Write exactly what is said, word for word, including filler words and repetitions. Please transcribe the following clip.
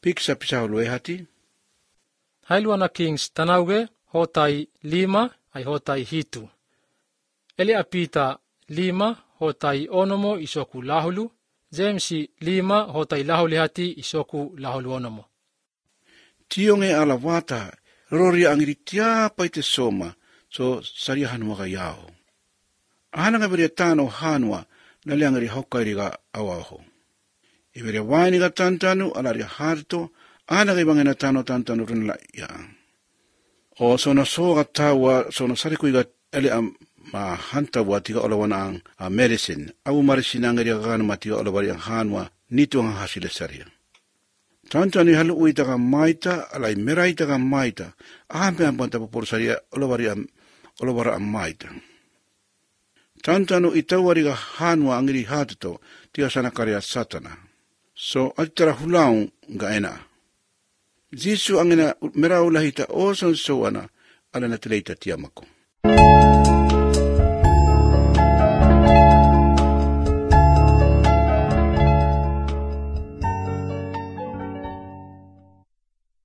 piksa pisahulu hati. Hailuana kings tanauge hotai lima ai hotai hitu. Eli apita lima hotai onomo isoku lahulu. Jamesi lima hotai lahuli hati isoku lahulu onomo. Tionge ala wata rori angiri tiapa ite soma so saria hanua ka yao. Ahana nga beria tano hanua na liangari hokairi ka awaho. Iberia waini ka tantanu alari harto ahana ka ibangena tano tantanu runla ya. O sono soga tawa sono sariku iga eli am ma hanta watiga olawana ang a medicine. Awu marisina ngari ka matiga olawari ang hanua nito ang hasile saria. Tantani halu uita ka maita alai meraita ka maita. Ahampe ang panta popor saria olawari ang olawara ang maita. Tantanu itawari ka hanua angiri hatuto tiga sana karya satana. So atara hulaung ga ena. Jisu angina meraulahita oson soana ala na tileita tiamako.